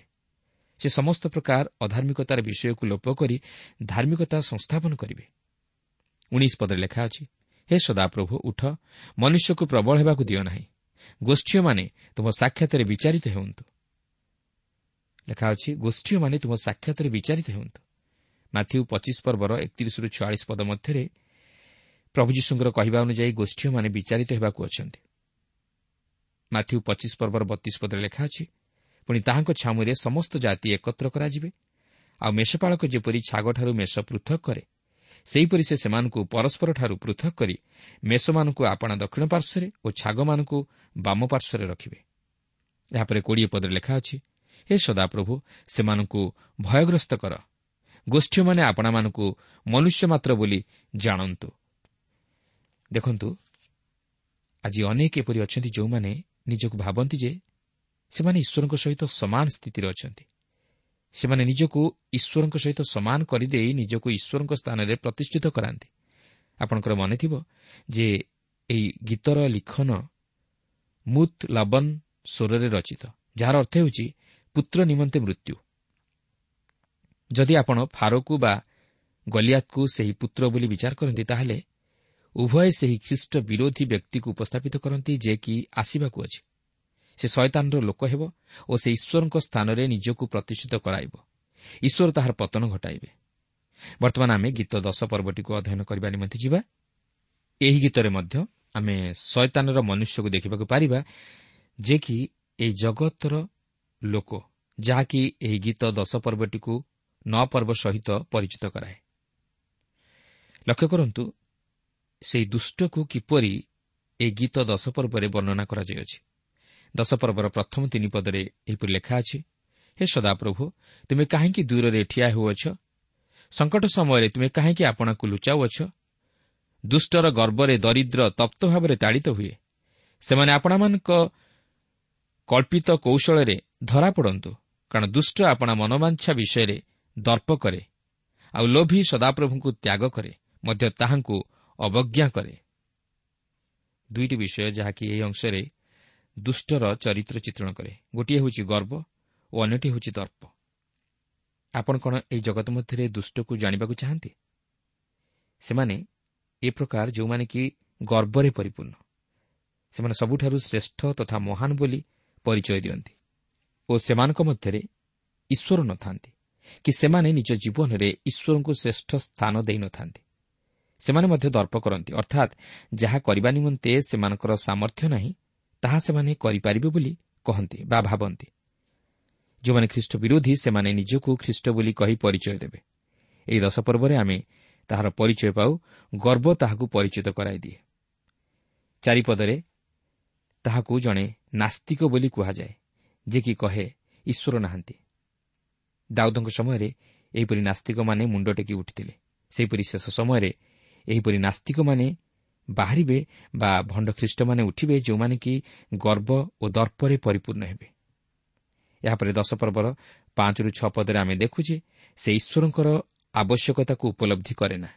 ସେ ସମସ୍ତ ପ୍ରକାର ଅଧାର୍ମିକତାର ବିଷୟକୁ ଲୋପ କରି ଧାର୍ମିକତା ସଂସ୍ଥାପନ କରିବେ। ଉଣେଇଶ ପଦରେ ଲେଖା ଅଛି, ହେ ସଦାପ୍ରଭୁ ଉଠ, ମନୁଷ୍ୟକୁ ପ୍ରବଳ ହେବାକୁ ଦିଅ ନାହିଁ, ଗୋଷ୍ଠୀୟମାନେ ତୁମ ସାକ୍ଷାତରେ ବିଚାରିତ ହେଉନ୍ତୁ। ଲେଖା ଅଛି, ଗୋଷ୍ଠୀୟମାନେ ତୁମ ସାକ୍ଷାତରେ ବିଚାରିତ ହେଉନ୍ତୁ। ମାଥ୍ୟୁ ପଚିଶ ପର୍ବର ଏକତିରିଶରୁ ଛୟାଳିଶ ପଦ ମଧ୍ୟରେ ପ୍ରଭୁ ଯୀଶୁଙ୍କର କହିବା ଅନୁଯାୟୀ ଗୋଷ୍ଠୀୟମାନେ ବିଚାରିତ ହେବାକୁ ଅଛନ୍ତି। ମାଥ୍ୟୁ ପଚିଶ ପର୍ବର ବତିଶ ପଦରେ ଲେଖା ଅଛି, ପୁଣି ତାହାଙ୍କ ଛାମୁରେ ସମସ୍ତ ଜାତି ଏକତ୍ର କରାଯିବେ, ଆଉ ମେଷପାଳକ ଯେପରି ଛାଗଠାରୁ ମେଷ ପୃଥକ କରେ, ସେହିପରି ସେ ସେମାନଙ୍କୁ ପରସ୍ପରଠାରୁ ପୃଥକ କରି ମେଷମାନଙ୍କୁ ଆପଣା ଦକ୍ଷିଣ ପାର୍ଶ୍ୱରେ ଓ ଛାଗମାନଙ୍କୁ ବାମ ପାର୍ଶ୍ୱରେ ରଖିବେ। ଏହାପରେ କୋଡ଼ିଏ ପଦରେ ଲେଖା ଅଛି, ହେ ସଦାପ୍ରଭୁ ସେମାନଙ୍କୁ ଭୟଗ୍ରସ୍ତ କର, ଗୋଷ୍ଠୀୟମାନେ ଆପଣାମାନଙ୍କୁ ମନୁଷ୍ୟ ମାତ୍ର ବୋଲି ଜାଣନ୍ତୁ। ଦେଖନ୍ତୁ, ଆଜି ଅନେକ ଏପରି ଅଛନ୍ତି ଯେଉଁମାନେ ନିଜକୁ ଭାବନ୍ତି ଯେ ସେମାନେ ଈଶ୍ୱରଙ୍କ ସହିତ ସମାନ ସ୍ଥିତିରେ ଅଛନ୍ତି। ସେମାନେ ନିଜକୁ ଈଶ୍ୱରଙ୍କ ସହିତ ସମାନ କରିଦେଇ ନିଜକୁ ଈଶ୍ୱରଙ୍କ ସ୍ଥାନରେ ପ୍ରତିଷ୍ଠିତ କରାନ୍ତି। ଆପଣଙ୍କର ମନେଥିବ ଯେ ଏହି ଗୀତର ଲିଖନ ମୁତ୍ ଲବନ ସ୍ୱରରେ ରଚିତ, ଯାହାର ଅର୍ଥ ହେଉଛି ପୁତ୍ର ନିମନ୍ତେ ମୃତ୍ୟୁ। ଯଦି ଆପଣ ଫାରୋକୁ ବା ଗଲିଆତକୁ ସେହି ପୁତ୍ର ବୋଲି ବିଚାର କରନ୍ତି, ତାହେଲେ ଉଭୟ ସେହି ଖ୍ରୀଷ୍ଟ ବିରୋଧୀ ବ୍ୟକ୍ତିକୁ ଉପସ୍ଥାପିତ କରନ୍ତି ଯେ କି ଆସିବାକୁ ଅଛି। ସେ ଶୟତାନର ଲୋକ ହେବ ଓ ସେ ଈଶ୍ୱରଙ୍କ ସ୍ଥାନରେ ନିଜକୁ ପ୍ରତିଷ୍ଠିତ କରାଇବ। ଈଶ୍ୱର ତାହାର ପତନ ଘଟାଇବେ। ବର୍ତ୍ତମାନ ଆମେ ଗୀତ ଦଶ ପର୍ବଟିକୁ ଅଧ୍ୟୟନ କରିବା ନିମନ୍ତେ ଯିବା। ଏହି ଗୀତରେ ମଧ୍ୟ ଆମେ ଶୟତାନର ମନୁଷ୍ୟକୁ ଦେଖିବାକୁ ପାରିବା, ଯେ କି ଏହି ଜଗତର ଲୋକ, ଯାହାକି ଏହି ଗୀତ ଦଶ ପର୍ବଟିକୁ ନଅ ପର୍ବ ସହିତ ପରିଚିତ କରାଏ। ଲକ୍ଷ୍ୟ କରନ୍ତୁ, ସେହି ଦୁଷ୍ଟକୁ କିପରି ଏହି ଗୀତ ଦଶ ପର୍ବରେ ବର୍ଣ୍ଣନା କରାଯାଇଅଛି। ଦଶ ପର୍ବର ପ୍ରଥମ ତିନି ପଦରେ ଏହିପରି ଲେଖା ଅଛି, ହେ ସଦାପ୍ରଭୁ, ତୁମେ କାହିଁକି ଦୂରରେ ଠିଆ ହେଉଅଛ? ସଙ୍କଟ ସମୟରେ ତୁମେ କାହିଁକି ଆପଣାକୁ ଲୁଚାଉଅଛ? ଦୁଷ୍ଟର ଗର୍ବରେ ଦରିଦ୍ର ତପ୍ତ ଭାବରେ ତାଡ଼ିତ ହୁଏ। ସେମାନେ ଆପଣାମାନଙ୍କ କଳ୍ପିତ କୌଶଳରେ ଧରା ପଡ଼ନ୍ତୁ, କାରଣ ଦୁଷ୍ଟ ଆପଣା ମନୋବାଞ୍ଛା ବିଷୟରେ ଦର୍ପ କରେ, ଆଉ ଲୋଭୀ ସଦାପ୍ରଭୁଙ୍କୁ ତ୍ୟାଗ କରେ, ମଧ୍ୟ ତାହାଙ୍କୁ ଅବଜ୍ଞା କରେ। ଦୁଇଟି ବିଷୟ ଯାହାକି ଏହି ଅଂଶରେ ଦୁଷ୍ଟର ଚରିତ୍ର ଚିତ୍ରଣ କରେ। ଗୋଟିଏ ହେଉଛି ଗର୍ବ ଓ ଅନ୍ୟଟି ହେଉଛି ଦର୍ପ। ଆପଣ କ'ଣ ଏହି ଜଗତ ମଧ୍ୟରେ ଦୁଷ୍ଟକୁ ଜାଣିବାକୁ ଚାହାନ୍ତି? ସେମାନେ ଏ ପ୍ରକାର ଯେଉଁମାନେ କି ଗର୍ବରେ ପରିପୂର୍ଣ୍ଣ। ସେମାନେ ସବୁଠାରୁ ଶ୍ରେଷ୍ଠ ତଥା ମହାନ ବୋଲି ପରିଚୟ ଦିଅନ୍ତି ଓ ସେମାନଙ୍କ ମଧ୍ୟରେ ଈଶ୍ୱର ନଥାନ୍ତି କି ସେମାନେ ନିଜ ଜୀବନରେ ଈଶ୍ୱରଙ୍କୁ ଶ୍ରେଷ୍ଠ ସ୍ଥାନ ଦେଇନଥାନ୍ତି। ସେମାନେ ମଧ୍ୟ ଦର୍ପ କରନ୍ତି, ଅର୍ଥାତ୍ ଯାହା କରିବା ନିମନ୍ତେ ସେମାନଙ୍କର ସାମର୍ଥ୍ୟ ନାହିଁ ତାହା ସେମାନେ କରିପାରିବେ ବୋଲି କହନ୍ତି ବା ଭାବନ୍ତି। ଯେଉଁମାନେ ଖ୍ରୀଷ୍ଟ ବିରୋଧୀ ସେମାନେ ନିଜକୁ ଖ୍ରୀଷ୍ଟ ବୋଲି କହି ପରିଚୟ ଦେବେ। ଏହି ଦଶ ପର୍ବରେ ଆମେ ତାହାର ପରିଚୟ ପାଉ। ଗର୍ବ ତାହାକୁ ପରିଚିତ କରାଇଦିଏ। ଚାରିପଦରେ ତାହାକୁ ଜଣେ ନାସ୍ତିକ ବୋଲି କୁହାଯାଏ, ଯେ କି କହେ ଈଶ୍ୱର ନାହାନ୍ତି। ଦାଉଦଙ୍କ ସମୟରେ ଏହିପରି ନାସ୍ତିକମାନେ ମୁଣ୍ଡ ଟେକି ଉଠିଥିଲେ। ସେହିପରି ଶେଷ ସମୟରେ ଏହିପରି ନାସ୍ତିକମାନେ ବାହାରିବେ ବା ଭଣ୍ଡ ଖ୍ରୀଷ୍ଟମାନେ ଉଠିବେ, ଯେଉଁମାନେ କି ଗର୍ବ ଓ ଦର୍ପରେ ପରିପୂର୍ଣ୍ଣ ହେବେ। ଏହାପରେ ଦଶ ପର୍ବର ପାଞ୍ଚରୁ ଛଅ ପଦରେ ଆମେ ଦେଖୁ ଯେ ସେ ଈଶ୍ୱରଙ୍କର ଆବଶ୍ୟକତାକୁ ଉପଲବ୍ଧି କରେ ନା।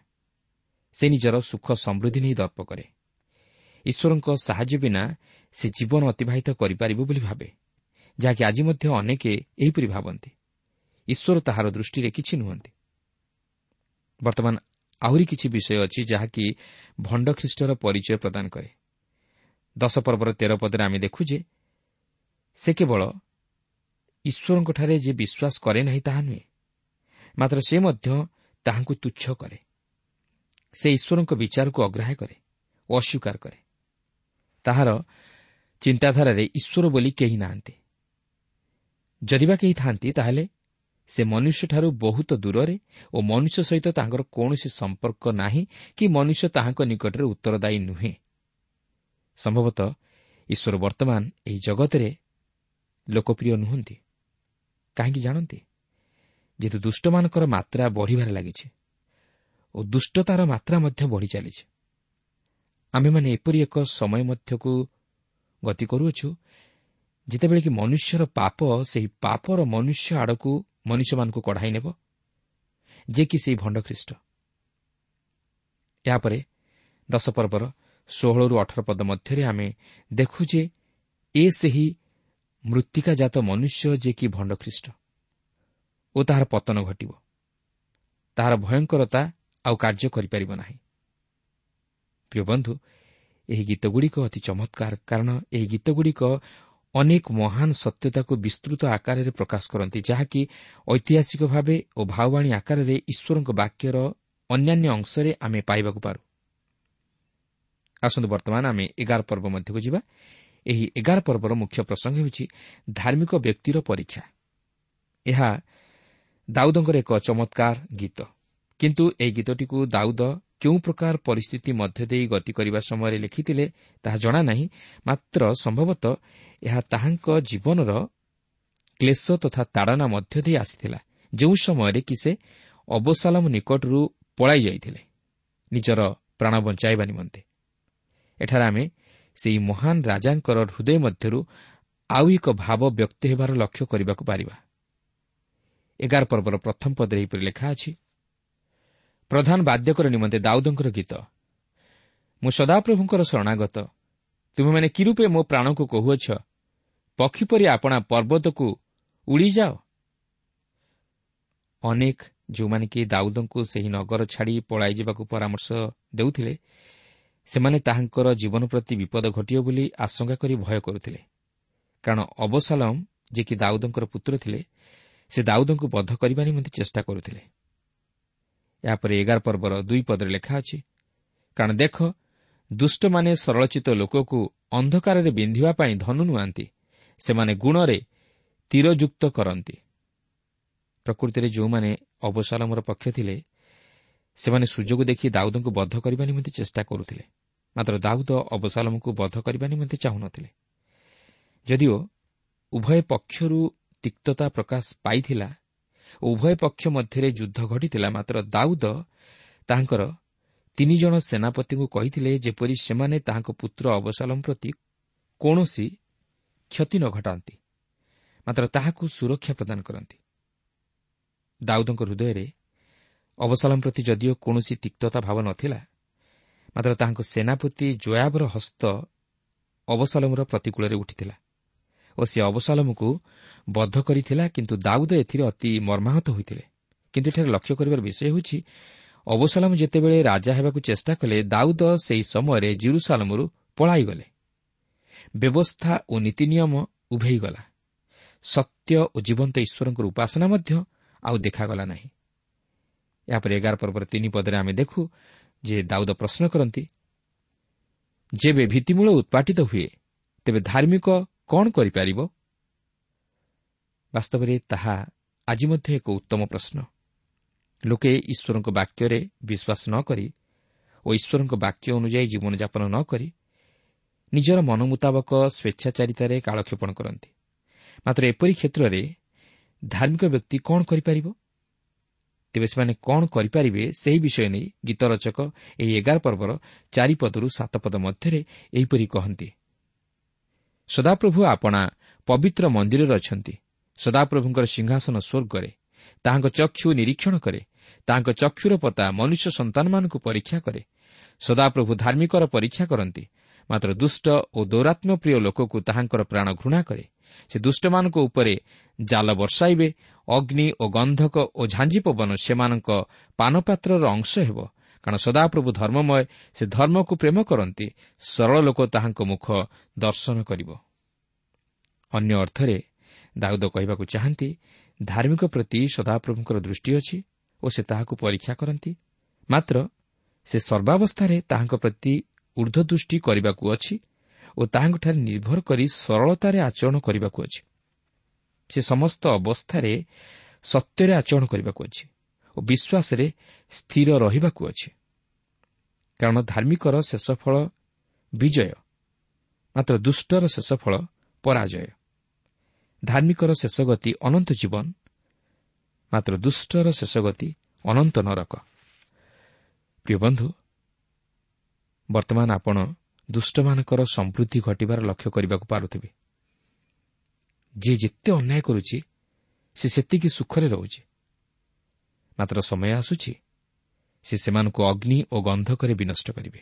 ସେ ନିଜର ସୁଖ ସମୃଦ୍ଧି ନେଇ ଦର୍ପ କରେ। ଈଶ୍ୱରଙ୍କ ସାହାଯ୍ୟ ବିନା ସେ ଜୀବନ ଅତିବାହିତ କରିପାରିବ ବୋଲି ଭାବେ, ଯାହାକି ଆଜି ମଧ୍ୟ ଅନେକ ଏହିପରି ଭାବନ୍ତି। ଈଶ୍ୱର ତାହାର ଦୃଷ୍ଟିରେ କିଛି ନୁହନ୍ତି। ବର୍ତ୍ତମାନ ଆହୁରି କିଛି ବିଷୟ ଅଛି ଯାହାକି ଭଣ୍ଡ ଖ୍ରୀଷ୍ଟର ପରିଚୟ ପ୍ରଦାନ କରେ। ଦଶ ପର୍ବର ତେର ପଦରେ ଆମେ ଦେଖୁ ଯେ ସେ କେବଳ ଈଶ୍ୱରଙ୍କଠାରେ ଯେ ବିଶ୍ୱାସ କରେ ନାହିଁ ତାହା ନୁହେଁ, ମାତ୍ର ସେ ମଧ୍ୟ ତାହାଙ୍କୁ ତୁଚ୍ଛ କରେ। ସେ ଈଶ୍ୱରଙ୍କ ବିଚାରକୁ ଅଗ୍ରାହ୍ୟ କରେ ଓ ଅସ୍ୱୀକାର କରେ। ତାହାର ଚିନ୍ତାଧାରାରେ ଈଶ୍ୱର ବୋଲି କେହି ନାହାନ୍ତି। ଯଦି ବା କେହି ଥାନ୍ତି, ତାହେଲେ ସେ ମନୁଷ୍ୟଠାରୁ ବହୁତ ଦୂରରେ ଓ ମନୁଷ୍ୟ ସହିତ ତାଙ୍କର କୌଣସି ସମ୍ପର୍କ ନାହିଁ କି ମନୁଷ୍ୟ ତାହାଙ୍କ ନିକଟରେ ଉତ୍ତରଦାୟୀ ନୁହେଁ। ସମ୍ଭବତଃ ଈଶ୍ୱର ବର୍ତ୍ତମାନ ଏହି ଜଗତରେ ଲୋକପ୍ରିୟ ନୁହନ୍ତି। କାହିଁକି ଜାଣନ୍ତି? ଯେହେତୁ ଦୁଷ୍ଟମାନଙ୍କର ମାତ୍ରା ବଢ଼ିବାରେ ଲାଗିଛି ଓ ଦୁଷ୍ଟତାର ମାତ୍ରା ମଧ୍ୟ ବଢ଼ି ଚାଲିଛି। ଆମେମାନେ ଏପରି ଏକ ସମୟ ମଧ୍ୟକୁ ଗତି କରୁଅଛୁ ଯେତେବେଳେ କି ମନୁଷ୍ୟର ପାପ ସେହି ପାପର ମନୁଷ୍ୟ ଆଡ଼କୁ ମନୁଷ୍ୟମାନଙ୍କୁ କଢ଼ାଇ ନେବ, ଯେ କି ସେହି ଭଣ୍ଡ ଖ୍ରୀଷ୍ଟ। ଏହାପରେ ଦଶ ପର୍ବର ଷୋହଳରୁ ଅଠର ପଦ ମଧ୍ୟରେ ଆମେ ଦେଖୁ ଯେ ଏ ସେହି ମୃତ୍ତିକାଜାତ ମନୁଷ୍ୟ ଯେ କି ଭଣ୍ଡ ଖ୍ରୀଷ୍ଟ। ଓ ତାହାର ପତନ ଘଟିବ। ତାହାର ଭୟଙ୍କରତା ଆଉ କାର୍ଯ୍ୟ କରିପାରିବ ନାହିଁ। ପ୍ରିୟ ବନ୍ଧୁ, ଏହି ଗୀତଗୁଡ଼ିକ ଅତି ଚମତ୍କାର, କାରଣ ଏହି ଗୀତଗୁଡ଼ିକ ଅନେକ ମହାନ ସତ୍ୟତାକୁ ବିସ୍ତୃତ ଆକାରରେ ପ୍ରକାଶ କରନ୍ତି, ଯାହାକି ଐତିହାସିକ ଭାବେ ଓ ଭାବବାଣୀ ଆକାରରେ ଈଶ୍ୱରଙ୍କ ବାକ୍ୟର ଅନ୍ୟାନ୍ୟ ଅଂଶରେ ଆମେ ପାଇବାକୁ ପାରୁ। ଆସନ୍ତୁ ବର୍ତ୍ତମାନ ଆମେ ଏଗାର ପର୍ବ ମଧ୍ୟକୁ ଯିବା। ଏହି ଏଗାର ପର୍ବର ମୁଖ୍ୟ ପ୍ରସଙ୍ଗ ହେଉଛି ଧାର୍ମିକ ବ୍ୟକ୍ତିର ପରୀକ୍ଷା। ଏହା ଦାଉଦଙ୍କର ଏକ ଚମତ୍କାର ଗୀତ, କିନ୍ତୁ ଏହି ଗୀତଟିକୁ ଦାଉଦ କେଉଁ ପ୍ରକାର ପରିସ୍ଥିତି ମଧ୍ୟ ଦେଇ ଗତି କରିବା ସମୟରେ ଲେଖିଥିଲେ ତାହା ଜଣା ନାହିଁ। ମାତ୍ର ସମ୍ଭବତଃ ଏହା ତାହାଙ୍କ ଜୀବନର କ୍ଲେଶ ତଥା ତାଡ଼ନା ମଧ୍ୟ ଦେଇ ଆସିଥିଲା, ଯେଉଁ ସମୟରେ କି ସେ ଅବସାଲମ ନିକଟରୁ ପଳାଇ ଯାଇଥିଲେ ନିଜର ପ୍ରାଣ ବଞ୍ଚାଇବା ନିମନ୍ତେ। ଏଠାରେ ଆମେ ସେହି ମହାନ ରାଜାଙ୍କର ହୃଦୟ ମଧ୍ୟରୁ ଆଉ ଏକ ଭାବ ବ୍ୟକ୍ତ ହେବାର ଲକ୍ଷ୍ୟ କରିବାକୁ ପାରିବା। ଏଗାର ପର୍ବର ପ୍ରଥମ ପଦରେ ଏହିପରି ଲେଖା ଅଛି, ପ୍ରଧାନ ବାଦ୍ୟକର ନିମନ୍ତେ ଦାଉଦଙ୍କର ଗୀତ। ମୁଁ ସଦାପ୍ରଭୁଙ୍କର ଶରଣାଗତ, ତୁମେମାନେ କି ରୂପେ ମୋ ପ୍ରାଣକୁ କହୁଅଛ, ପକ୍ଷୀ ପରି ଆପଣା ପର୍ବତକୁ ଉଡ଼ିଯାଅ। ଅନେକ ଯେଉଁମାନେ କି ଦାଉଦଙ୍କୁ ସେହି ନଗର ଛାଡ଼ି ପଳାଇଯିବାକୁ ପରାମର୍ଶ ଦେଉଥିଲେ, ସେମାନେ ତାହାଙ୍କର ଜୀବନ ପ୍ରତି ବିପଦ ଘଟିବ ବୋଲି ଆଶଙ୍କା କରି ଭୟ କରୁଥିଲେ, କାରଣ ଅବସାଲମ, ଯିଏକି ଦାଉଦଙ୍କର ପୁତ୍ର ଥିଲେ, ସେ ଦାଉଦଙ୍କୁ ବଧ କରିବା ନିମନ୍ତେ ଚେଷ୍ଟା କରୁଥିଲେ। ଏହାପରେ ଏଗାର ପର୍ବର ଦୁଇ ପଦରେ ଲେଖା ଅଛି, କାରଣ ଦେଖ, ଦୁଷ୍ଟମାନେ ସରଳଚିତ ଲୋକକୁ ଅନ୍ଧକାରରେ ବିନ୍ଧିବା ପାଇଁ ଧନୁ ନୁଆନ୍ତି, ସେମାନେ ଗୁଣରେ ତୀରଯୁକ୍ତ କରନ୍ତି। ପ୍ରକୃତିରେ ଯେଉଁମାନେ ଅବସାଲମର ପକ୍ଷ ଥିଲେ, ସେମାନେ ସୁଯୋଗ ଦେଖି ଦାଉଦଙ୍କୁ ବଧ କରିବା ନିମନ୍ତେ ଚେଷ୍ଟା କରୁଥିଲେ। ମାତ୍ର ଦାଉଦ ଅବସାଲମକୁ ବଧ କରିବା ନିମନ୍ତେ ଚାହୁଁନଥିଲେ। ଯଦିଓ ଉଭୟ ପକ୍ଷରୁ ତିକ୍ତତା ପ୍ରକାଶ ପାଇଥିଲା ଓ ଉଭୟ ପକ୍ଷ ମଧ୍ୟରେ ଯୁଦ୍ଧ ଘଟିଥିଲା, ମାତ୍ର ଦାଉଦ ତାହାଙ୍କର ତିନି ଜଣ ସେନାପତିଙ୍କୁ କହିଥିଲେ ଯେପରି ସେମାନେ ତାହାଙ୍କ ପୁତ୍ର ଅବସାଲମ ପ୍ରତି କୌଣସି କ୍ଷତି ନ ଘଟାନ୍ତି, ମାତ୍ର ତାହାକୁ ସୁରକ୍ଷା ପ୍ରଦାନ କରନ୍ତି। ଦାଉଦଙ୍କ ହୃଦୟରେ ଅବସାଲମ ପ୍ରତି ଯଦିଓ କୌଣସି ତିକ୍ତତା ଭାବ ନଥିଲା, ମାତ୍ର ତାହାଙ୍କ ସେନାପତି ଜୋୟାବର ହସ୍ତ ଅବସାଲମର ପ୍ରତିକୂଳରେ ଉଠିଥିଲା ଓ ସେ ଅବସାଲମକୁ ବଧ କରିଥିଲା। କିନ୍ତୁ ଦାଉଦ ଏଥିରେ ଅତି ମର୍ମାହତ ହୋଇଥିଲେ। କିନ୍ତୁ ଏଠାରେ ଲକ୍ଷ୍ୟ କରିବାର ବିଷୟ ହେଉଛି, ଅବସାଲମ ଯେତେବେଳେ ରାଜା ହେବାକୁ ଚେଷ୍ଟା କଲେ, ଦାଉଦ ସେହି ସମୟରେ ଜିରୁସାଲମରୁ ପଳାଇଗଲେ। ବ୍ୟବସ୍ଥା ଓ ନୀତି ନିୟମ ଉଭେଇଗଲା। ସତ୍ୟ ଓ ଜୀବନ୍ତ ଈଶ୍ୱରଙ୍କର ଉପାସନା ମଧ୍ୟ ଆଉ ଦେଖାଗଲା ନାହିଁ। ଏହାପରେ ଏଗାର ପର୍ବର ତିନି ପଦରେ ଆମେ ଦେଖୁ ଯେ ଦାଉଦ ପ୍ରଶ୍ନ କରନ୍ତି, ଯେବେ ଭିତ୍ତିମୂଳ ଉତ୍ପାଟିତ ହୁଏ, ତେବେ ଧାର୍ମିକ କ'ଣ କରିପାରିବ? ବାସ୍ତବରେ ତାହା ଆଜି ମଧ୍ୟ ଏକ ଉତ୍ତମ ପ୍ରଶ୍ନ। ଲୋକେ ଈଶ୍ୱରଙ୍କ ବାକ୍ୟରେ ବିଶ୍ୱାସ ନ କରି ଓ ଈଶ୍ୱରଙ୍କ ବାକ୍ୟ ଅନୁଯାୟୀ ଜୀବନଯାପନ ନ କରି ନିଜର ମନ ମୁତାବକ ସ୍ୱେଚ୍ଛାଚାରିତାରେ କାଳକ୍ଷେପଣ କରନ୍ତି। ମାତ୍ର ଏପରି କ୍ଷେତ୍ରରେ ଧାର୍ମିକ ବ୍ୟକ୍ତି କ'ଣ କରିପାରିବ? ତେବେ ସେମାନେ କ'ଣ କରିପାରିବେ ସେହି ବିଷୟ ନେଇ ଗୀତ ରଚକ ଏହି ଏଗାର ପର୍ବର ଚାରିପଦରୁ ସାତ ପଦ ମଧ୍ୟରେ ଏହିପରି କହନ୍ତି, ସଦାପ୍ରଭୁ ଆପଣା ପବିତ୍ର ମନ୍ଦିରରେ ଅଛନ୍ତି, ସଦାପ୍ରଭୁଙ୍କର ସିଂହାସନ ସ୍ୱର୍ଗରେ, ତାହାଙ୍କ ଚକ୍ଷୁ ନିରୀକ୍ଷଣ କରେ, ତାହାଙ୍କ ଚକ୍ଷୁର ପତା ମନୁଷ୍ୟ ସନ୍ତାନମାନଙ୍କୁ ପରୀକ୍ଷା କରେ। ସଦାପ୍ରଭୁ ଧାର୍ମିକର ପରୀକ୍ଷା କରନ୍ତି, ମାତ୍ର ଦୁଷ୍ଟ ଓ ଦୌରାତ୍ମ୍ୟପ୍ରିୟ ଲୋକକୁ ତାହାଙ୍କର ପ୍ରାଣ ଘୃଣା କରେ। ସେ ଦୁଷ୍ଟମାନଙ୍କ ଉପରେ ଜାଲ ବର୍ଷାଇବେ, ଅଗ୍ନି ଓ ଗନ୍ଧକ ଓ ଝାଞ୍ଜି ପବନ ସେମାନଙ୍କ ପାନପାତ୍ରର ଅଂଶ ହେବ। କାରଣ ସଦାପ୍ରଭୁ ଧର୍ମମୟ, ସେ ଧର୍ମକୁ ପ୍ରେମ କରନ୍ତି, ସରଳ ଲୋକ ତାହାଙ୍କ ମୁଖ ଦର୍ଶନ କରିବ। ଅନ୍ୟ ଅର୍ଥରେ ଦାଉଦ କହିବାକୁ ଚାହାନ୍ତି, ଧାର୍ମିକ ପ୍ରତି ସଦାପ୍ରଭୁଙ୍କର ଦୃଷ୍ଟି ଅଛି ଓ ସେ ତାହାକୁ ପରୀକ୍ଷା କରନ୍ତି, ମାତ୍ର ସେ ସର୍ବାବସ୍ଥାରେ ତାହାଙ୍କ ପ୍ରତି ଊର୍ଦ୍ଧ୍ୱଦୃଷ୍ଟି କରିବାକୁ ଅଛି ଓ ତାହାଙ୍କଠାରେ ନିର୍ଭର କରି ସରଳତାରେ ଆଚରଣ କରିବାକୁ ଅଛି। ସେ ସମସ୍ତ ଅବସ୍ଥାରେ ସତ୍ୟରେ ଆଚରଣ କରିବାକୁ ଅଛି ଓ ବିଶ୍ୱାସରେ ସ୍ଥିର ରହିବାକୁ ଅଛି। କାରଣ ଧାର୍ମିକର ଶେଷ ଫଳ ବିଜୟ, ମାତ୍ର ଦୁଷ୍ଟର ଶେଷ ଫଳ ପରାଜୟ। ଧାର୍ମିକର ଶେଷ ଗତି ଅନନ୍ତ ଜୀବନ, ମାତ୍ର ଦୁଷ୍ଟର ଶେଷ ଗତି ଅନନ୍ତ ନରକ। ପ୍ରିୟ ବନ୍ଧୁ, ବର୍ତ୍ତମାନ ଆପଣ ଦୁଷ୍ଟମାନଙ୍କର ସମୃଦ୍ଧି ଘଟିବାର ଲକ୍ଷ୍ୟ କରିବାକୁ ପାରୁଥିବେ। ଯିଏ ଯେତେ ଅନ୍ୟାୟ କରୁଛି ସେ ସେତିକି ସୁଖରେ ରହୁଛି, ମାତ୍ର ସମୟ ଆସୁଛି ସେ ସେମାନଙ୍କୁ ଅଗ୍ନି ଓ ଗନ୍ଧକରେ ବିନଷ୍ଟ କରିବେ,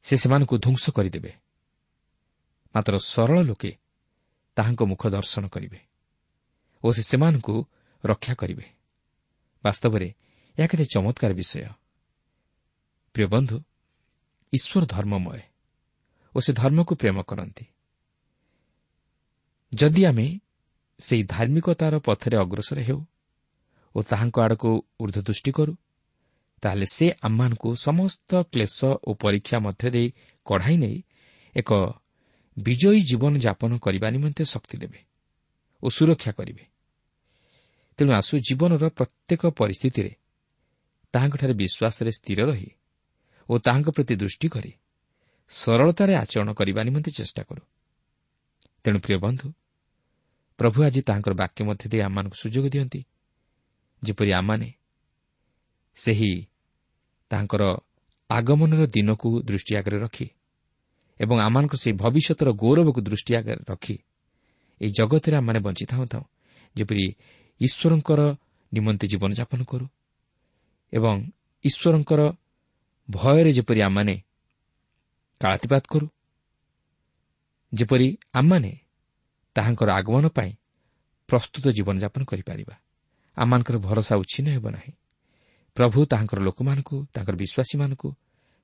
ସେ ସେମାନଙ୍କୁ ଧ୍ୱଂସ କରିଦେବେ। ମାତ୍ର ସରଳ ଲୋକେ ତାହାଙ୍କ ମୁଖ ଦର୍ଶନ କରିବେ ଓ ସେ ସେମାନଙ୍କୁ ରକ୍ଷା କରିବେ। ବାସ୍ତବରେ ଏହା କେତେ ଚମତ୍କାର ବିଷୟ। ପ୍ରିୟ ବନ୍ଧୁ, ଈଶ୍ୱର ଧର୍ମମୟ ଓ ସେ ଧର୍ମକୁ ପ୍ରେମ କରନ୍ତି। ଯଦି ଆମେ ସେହି ଧାର୍ମିକତାର ପଥରେ ଅଗ୍ରସର ହେଉ ଓ ତାହାଙ୍କ ଆଡ଼କୁ ଉର୍ଦ୍ଧ୍ୱ ଦୃଷ୍ଟି କରୁ, ତାହେଲେ ସେ ଆମମାନଙ୍କୁ ସମସ୍ତ କ୍ଲେଶ ଓ ପରୀକ୍ଷା ମଧ୍ୟ ଦେଇ କଢ଼ାଇ ନେଇ ଏକ ବିଜୟୀ ଜୀବନଯାପନ କରିବା ନିମନ୍ତେ ଶକ୍ତି ଦେବେ ଓ ସୁରକ୍ଷା କରିବେ। ତେଣୁ ଆସୁ ଜୀବନର ପ୍ରତ୍ୟେକ ପରିସ୍ଥିତିରେ ତାହାଙ୍କଠାରେ ବିଶ୍ୱାସରେ ସ୍ଥିର ରହି ଓ ତାହାଙ୍କ ପ୍ରତି ଦୃଷ୍ଟି କରି ସରଳତାରେ ଆଚରଣ କରିବା ନିମନ୍ତେ ଚେଷ୍ଟା କରୁ। ତେଣୁ ପ୍ରିୟ ବନ୍ଧୁ, ପ୍ରଭୁ ଆଜି ତାହାଙ୍କର ବାକ୍ୟ ମଧ୍ୟ ଦେଇ ଆମମାନଙ୍କୁ ସୁଯୋଗ ଦିଅନ୍ତି, ଯେପରି ଆମମାନେ ସେହି ତାହାଙ୍କର ଆଗମନର ଦିନକୁ ଦୃଷ୍ଟି ଆଗରେ ରଖି ଏବଂ ଆମମାନଙ୍କ ସେହି ଭବିଷ୍ୟତର ଗୌରବକୁ ଦୃଷ୍ଟି ଆଗରେ ରଖି ଏହି ଜଗତରେ ଆମମାନେ ବଞ୍ଚିଥାଉଁ ଥାଉଁ ଯେପରି ଈଶ୍ୱରଙ୍କର ନିମନ୍ତେ ଜୀବନଯାପନ କରୁ ଏବଂ ଈଶ୍ୱରଙ୍କର ଭୟରେ ଯେପରି ଆମମାନେ କାଳାତିପାତ କରୁ, ଯେପରି ଆମମାନେ ତାହାଙ୍କର ଆଗମନ ପାଇଁ ପ୍ରସ୍ତୁତ ଜୀବନଯାପନ କରିପାରିବା। ଆମମାନଙ୍କର ଭରସା ଉଚ୍ଛିନ୍ନ ହେବ ନାହିଁ। ପ୍ରଭୁ ତାହାଙ୍କର ଲୋକମାନଙ୍କୁ, ତାଙ୍କର ବିଶ୍ୱାସୀମାନଙ୍କୁ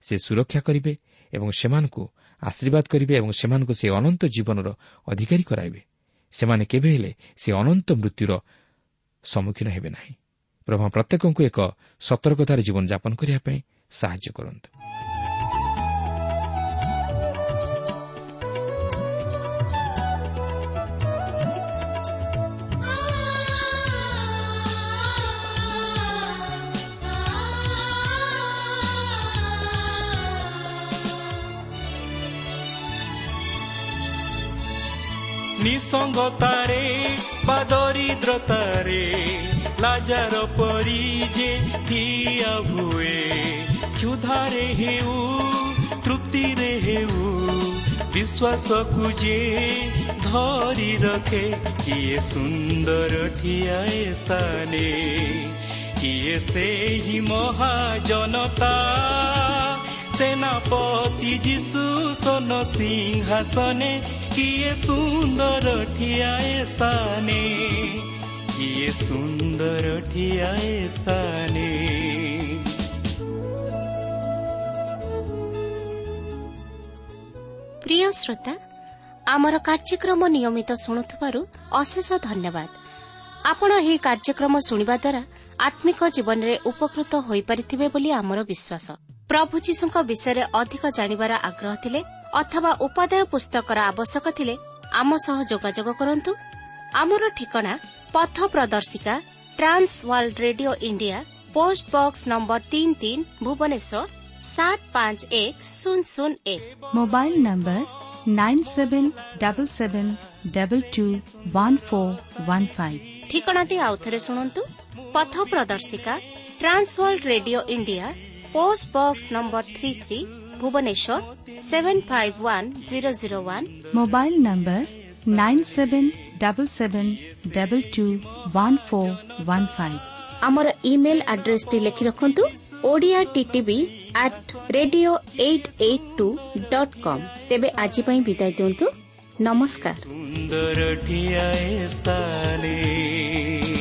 ସେ ସୁରକ୍ଷା କରିବେ ଏବଂ ସେମାନଙ୍କୁ ଆଶୀର୍ବାଦ କରିବେ ଏବଂ ସେମାନଙ୍କୁ ସେ ଅନନ୍ତ ଜୀବନର ଅଧିକାରୀ କରାଇବେ। ସେମାନେ କେବେ ହେଲେ ସେ ଅନନ୍ତ ମୃତ୍ୟୁର ସମ୍ମୁଖୀନ ହେବେ ନାହିଁ। ପ୍ରଭୁ ପ୍ରତ୍ୟେକଙ୍କୁ ଏକ ସତର୍କତାରେ ଜୀବନଯାପନ କରିବା ପାଇଁ ସାହାଯ୍ୟ କରନ୍ତୁ। ନିସଙ୍ଗତାରେ ବା ଦରିଦ୍ରତାରେ ଲାଜାର ପରି ଯେ ଠିଆ ହୁଏ, କ୍ଷୁଧାରେ ହେଉ ତୃପ୍ତିରେ ହେଉ ବିଶ୍ୱାସକୁ ଯେ ଧରି ରଖେ, କିଏ ସୁନ୍ଦର ଠିଆ ଏ ସ୍ଥାନେ, କିଏ ସେହି ମହାଜନତା। ସେନାପତି ଯୀଶୁ ସୋନ ସିଂହାସନେ, କିଏ ସୁନ୍ଦର ଠିଆ ଏ ସ୍ଥାନେ, କିଏ ସୁନ୍ଦର ଠିଆ ଏ ସ୍ଥାନେ। ପ୍ରିୟ ଶ୍ରୋତା, ଆମର କାର୍ଯ୍ୟକ୍ରମ ନିୟମିତ ଶୁଣୁଥିବାରୁ ଅଶେଷ ଧନ୍ୟବାଦ। ଆପଣ ଏହି କାର୍ଯ୍ୟକ୍ରମ ଶୁଣିବା ଦ୍ୱାରା ଆତ୍ମିକ ଜୀବନରେ ଉପକୃତ ହୋଇପାରିଥିବେ ବୋଲି ଆମର ବିଶ୍ୱାସ। ପ୍ରଭୁ ଯୀଶୁଙ୍କ ବିଷୟରେ ଅଧିକ ଜାଣିବାର ଆଗ୍ରହ ଥିଲେ ଅଥବା ଉପାଦେୟ ପୁସ୍ତକର ଆବଶ୍ୟକ ଥିଲେ ଆମ ସହ ଯୋଗାଯୋଗ କରନ୍ତୁ। ଆମର ଠିକଣା ପଥ ପ୍ରଦର୍ଶିକା, Trans World Radio India, post box number ତିନି ତିନି, ଭୁବନେଶ୍ୱର ସାତ ପାଞ୍ଚ ଏକ ଶୂନ ଶୂନ ଏକ। Mobile number nine seven double seven double two one four one five. ଠିକଣାଟି ଆଉଥରେ ଶୁଣନ୍ତୁ। ପଥ ପ୍ରଦର୍ଶିକା, Trans World Radio India, post box number three three, Bhubaneswar seven five one zero zero one. Mobile number nine seven double seven double two one four one five. ଆମର email ଆଡ୍ରେସଟି ଲେଖି ରଖନ୍ତୁ, Odia TTV at radio eight eight two dot com. ତେବେ ଆଜି ପାଇଁ ବିଦାୟ ଦିଅନ୍ତୁ। ନମସ୍କାର। ସୁନ୍ଦର ଠିଆ ସ୍ଥାନେ।